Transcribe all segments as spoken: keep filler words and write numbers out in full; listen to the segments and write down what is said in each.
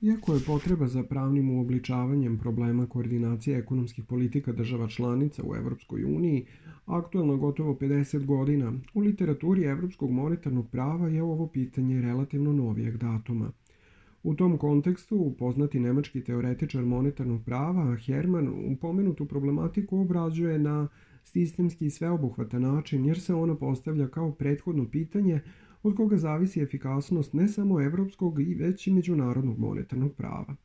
Iako je potreba za pravnim uobličavanjem problema koordinacije ekonomskih politika država članica u Evropskoj uniji aktuelna gotovo pedeset godina, u literaturi evropskog monetarnog prava je ovo pitanje relativno novijeg datuma. U tom kontekstu, poznati nemački teoretičar monetarnog prava Herman upomenutu problematiku obrađuje na sistemski i sveobuhvatan način, jer se ona postavlja kao prethodno pitanje od koga zavisi efikasnost ne samo evropskog i već i međunarodnog monetarnog prava.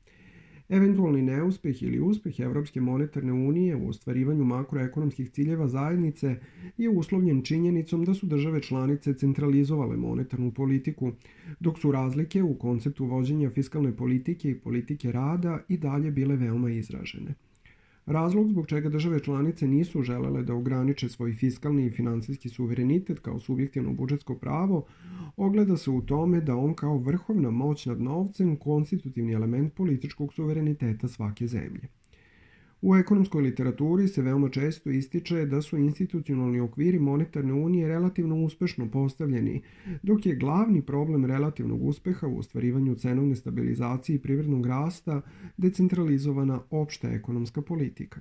Eventualni neuspeh ili uspeh Evropske monetarne unije u ostvarivanju makroekonomskih ciljeva zajednice je uslovljen činjenicom da su države članice centralizovale monetarnu politiku, dok su razlike u konceptu vođenja fiskalne politike i politike rada i dalje bile veoma izražene. Razlog zbog čega države članice nisu želele da ograniče svoj fiskalni i finansijski suverenitet kao subjektivno budžetsko pravo ogleda se u tome da on kao vrhovna moć nad novcem konstitutivni element političkog suvereniteta svake zemlje. U ekonomskoj literaturi se veoma često ističe da su institucionalni okviri monetarne unije relativno uspešno postavljeni, dok je glavni problem relativnog uspeha u ostvarivanju cenovne stabilizacije i privrednog rasta decentralizovana opšta ekonomska politika.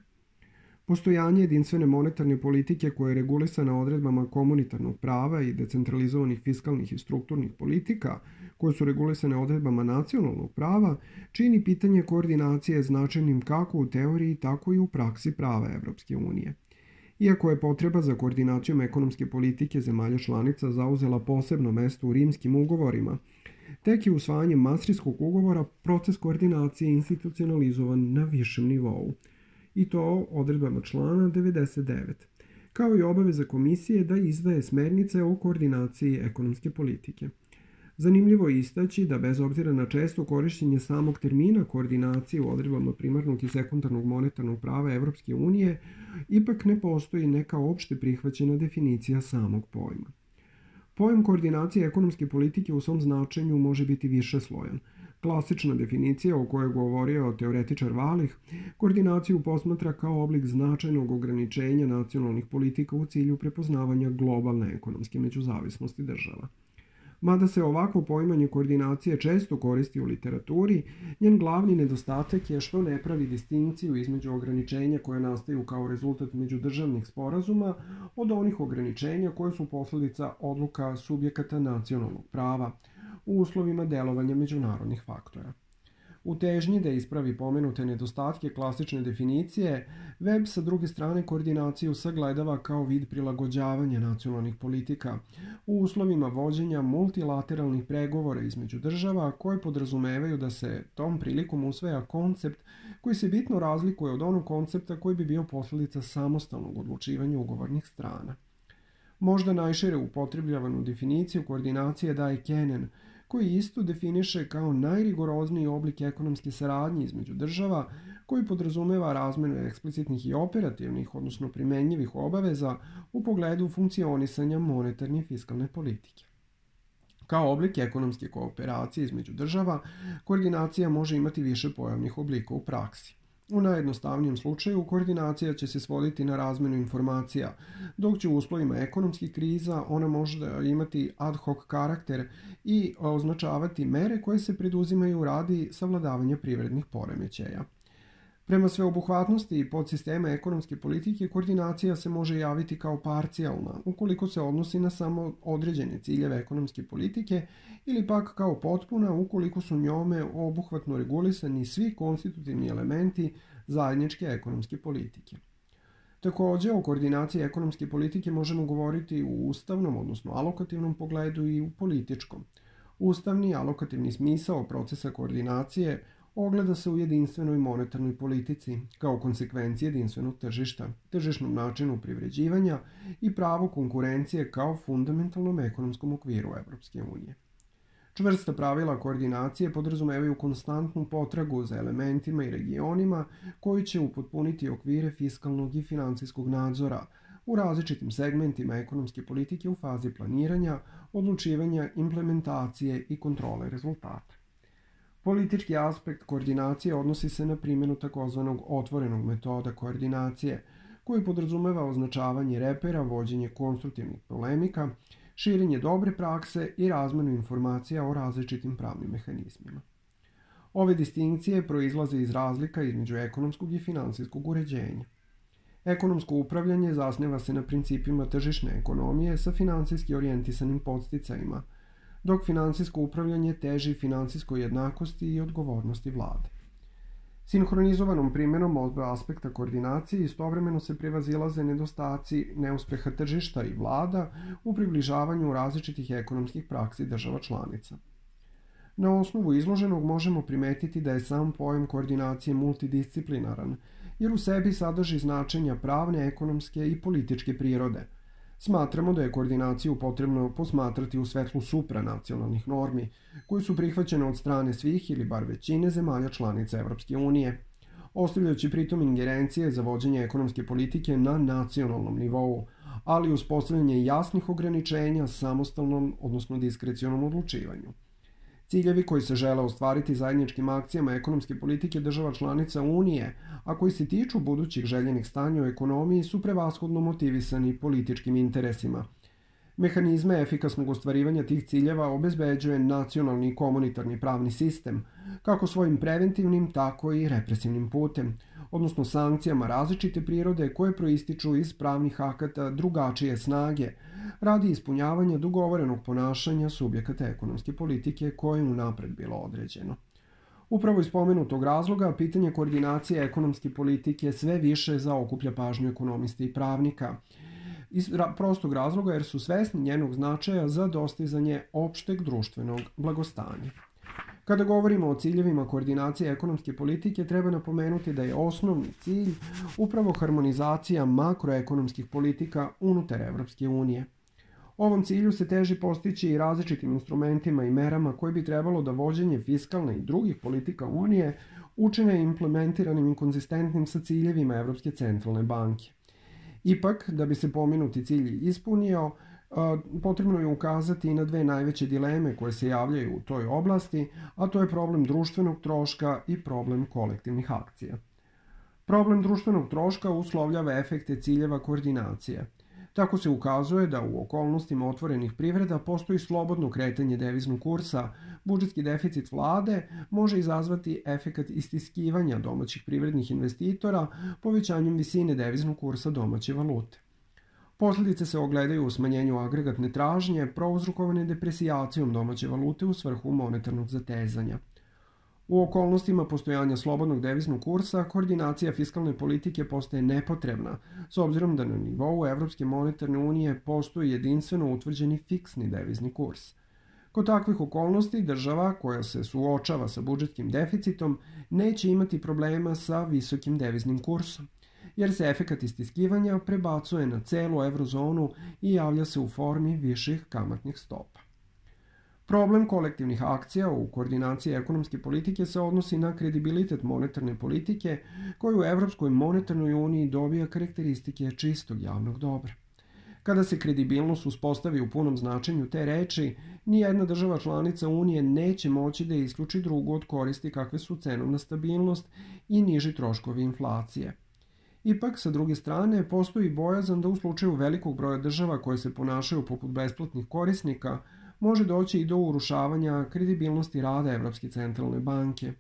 Postojanje jedinstvene monetarne politike koja je regulisana odredbama komunitarnog prava i decentralizovanih fiskalnih i strukturnih politika, koje su regulisane odredbama nacionalnog prava, čini pitanje koordinacije značajnim kako u teoriji, tako i u praksi prava Evropske unije. Iako je potreba za koordinacijom ekonomske politike zemalja članica zauzela posebno mesto u rimskim ugovorima, tek je usvajanjem Mastrihtskog ugovora proces koordinacije institucionalizovan na višem nivou, i to odredbama člana devedeset devet, kao i obaveza komisije da izdaje smernice o koordinaciji ekonomske politike. Zanimljivo je istaći da bez obzira na često korišćenje samog termina koordinacije u odredbama primarnog i sekundarnog monetarnog prava Evropske unije, ipak ne postoji neka opšte prihvaćena definicija samog pojma. Pojam koordinacije ekonomske politike u svom značenju može biti višeslojan. Klasična definicija o kojoj je govorio teoretičar Wallich, koordinaciju posmatra kao oblik značajnog ograničenja nacionalnih politika u cilju prepoznavanja globalne ekonomske međuzavisnosti država. Mada se ovako poimanje koordinacije često koristi u literaturi, njen glavni nedostatak je što ne pravi distinkciju između ograničenja koje nastaju kao rezultat međudržavnih sporazuma od onih ograničenja koje su posledica odluka subjekata nacionalnog prava u uslovima delovanja međunarodnih faktora. U težnji da ispravi pomenute nedostatke klasične definicije, Webb sa druge strane koordinaciju sagledava kao vid prilagođavanja nacionalnih politika u uslovima vođenja multilateralnih pregovora između država koje podrazumevaju da se tom prilikom usvaja koncept koji se bitno razlikuje od onog koncepta koji bi bio posledica samostalnog odlučivanja ugovornih strana. Možda najšire upotrebljavanu definiciju koordinacije daje Kennan, koji isto definiše kao najrigorozniji oblik ekonomske saradnje između država, koji podrazumeva razmenu eksplicitnih i operativnih, odnosno primenjivih obaveza u pogledu funkcionisanja monetarne i fiskalne politike. Kao oblik ekonomske kooperacije između država, koordinacija može imati više pojavnih oblika u praksi. U najjednostavnijem slučaju, koordinacija će se svoditi na razmenu informacija, dok će u uslovima ekonomskih kriza ona može imati ad hoc karakter i označavati mere koje se preduzimaju radi savladavanja privrednih poremećaja. Prema sveobuhvatnosti i podsistema ekonomske politike, koordinacija se može javiti kao parcijalna, ukoliko se odnosi na samo određene ciljeve ekonomske politike, ili pak kao potpuna, ukoliko su njome obuhvatno regulisani svi konstitutivni elementi zajedničke ekonomske politike. Takođe, o koordinaciji ekonomske politike možemo govoriti u ustavnom, odnosno alokativnom pogledu i u političkom. Ustavni alokativni smisao procesa koordinacije ogleda se u jedinstvenoj monetarnoj politici, kao konsekvenciji jedinstvenog tržišta, tržišnom načinu privređivanja i pravo konkurencije kao fundamentalnom ekonomskom okviru Evropske unije. Čvrsta pravila koordinacije podrazumevaju konstantnu potragu za elementima i regionima koji će upotpuniti okvire fiskalnog i finansijskog nadzora u različitim segmentima ekonomske politike u fazi planiranja, odlučivanja, implementacije i kontrole rezultata. Politički aspekt koordinacije odnosi se na primjenu takozvanog otvorenog metoda koordinacije, koji podrazumeva označavanje repera, vođenje konstruktivnih polemika, širenje dobre prakse i razmenu informacija o različitim pravnim mehanizmima. Ove distinkcije proizlaze iz razlika između ekonomskog i finansijskog uređenja. Ekonomsko upravljanje zasniva se na principima tržišne ekonomije sa finansijski orijentisanim podsticajima, dok finansijsko upravljanje teži finansijskoj jednakosti i odgovornosti vlade. Sinhronizovanom primjenom oba aspekta koordinacije istovremeno se prevazilaze nedostaci neuspeha tržišta i vlada u približavanju različitih ekonomskih praksi država članica. Na osnovu izloženog možemo primetiti da je sam pojam koordinacije multidisciplinaran, jer u sebi sadrži značenja pravne, ekonomske i političke prirode. Smatramo da je koordinaciju potrebno posmatrati u svetlu supranacionalnih normi, koje su prihvaćene od strane svih ili bar većine zemalja članica Evropske unije, ostavljajući pritom ingerencije za vođenje ekonomske politike na nacionalnom nivou, ali uz postavljanje jasnih ograničenja samostalnom, odnosno diskrecionom odlučivanju. Ciljevi koji se žele ostvariti zajedničkim akcijama ekonomske politike država članica Unije, a koji se tiču budućih željenih stanja u ekonomiji, su prevashodno motivisani političkim interesima. Mehanizme efikasnog ostvarivanja tih ciljeva obezbeđuje nacionalni i komunitarni pravni sistem, kako svojim preventivnim, tako i represivnim putem, odnosno sankcijama različite prirode koje proističu iz pravnih akata drugačije snage, radi ispunjavanja dogovorenog ponašanja subjekata ekonomske politike koje je unapred bilo određeno. Upravo iz pomenutog razloga, pitanje koordinacije ekonomske politike sve više zaokuplja pažnju ekonomista i pravnika, iz prostog razloga jer su svesni njenog značaja za dostizanje opšteg društvenog blagostanja. Kada govorimo o ciljevima koordinacije ekonomske politike, treba napomenuti da je osnovni cilj upravo harmonizacija makroekonomskih politika unutar Evropske unije. Ovom cilju se teži postići i različitim instrumentima i merama koje bi trebalo da vođenje fiskalne i drugih politika Unije učine implementiranim i konzistentnim sa ciljevima Evropske centralne banke. Ipak, da bi se pomenuti cilj ispunio, potrebno je ukazati i na dve najveće dileme koje se javljaju u toj oblasti, a to je problem društvenog troška i problem kolektivnih akcija. Problem društvenog troška uslovljava efekte ciljeva koordinacije. Tako se ukazuje da u okolnostima otvorenih privreda postoji slobodno kretanje deviznog kursa, budžetski deficit vlade može izazvati efekat istiskivanja domaćih privrednih investitora povećanjem visine deviznog kursa domaće valute. Posljedice se ogledaju u smanjenju agregatne tražnje, prouzrokovane depresijacijom domaće valute u svrhu monetarnog zatezanja. U okolnostima postojanja slobodnog deviznog kursa, koordinacija fiskalne politike postaje nepotrebna, s obzirom da na nivou Evropske monetarne unije postoji jedinstveno utvrđeni fiksni devizni kurs. Kod takvih okolnosti, država koja se suočava sa budžetskim deficitom neće imati problema sa visokim deviznim kursom, jer se efekat istiskivanja prebacuje na celu eurozonu i javlja se u formi viših kamatnih stopa. Problem kolektivnih akcija u koordinaciji ekonomske politike se odnosi na kredibilitet monetarne politike koji u Evropskoj monetarnoj uniji dobija karakteristike čistog javnog dobra. Kada se kredibilnost uspostavi u punom značenju te reči, nijedna država članica Unije neće moći da isključi drugu od koristi kakve su cenovna stabilnost i niži troškovi inflacije. Ipak, sa druge strane, postoji bojazan da u slučaju velikog broja država koje se ponašaju poput besplatnih korisnika, može doći i do urušavanja kredibilnosti rada Evropske centralne banke.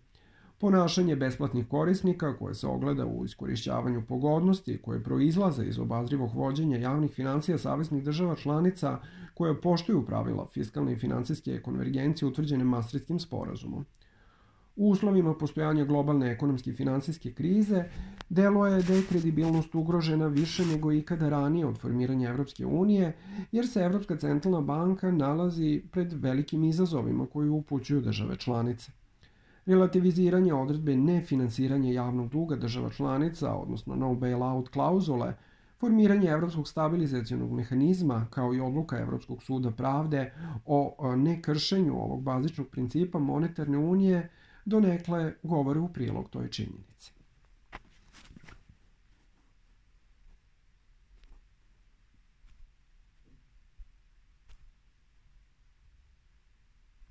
Ponašanje besplatnih korisnika, koje se ogleda u iskorišćavanju pogodnosti koje proizlaze iz obazrivog vođenja javnih financija saveznih država članica koje poštuju pravila fiskalne i finansijske konvergencije utvrđene Maastrichtskim sporazumom. U uslovima postojanja globalne ekonomske i finansijske krize, deluje da je kredibilnost ugrožena više nego ikada ranije od formiranja Evropske unije, jer se Evropska centralna banka nalazi pred velikim izazovima koji upućuju države članice. Relativiziranje odredbe nefinansiranja javnog duga država članica, odnosno no bailout klauzule, formiranje Evropskog stabilizacionog mehanizma, kao i odluka Evropskog suda pravde o nekršenju ovog bazičnog principa monetarne unije, donekle govore u prilog toj činjenici.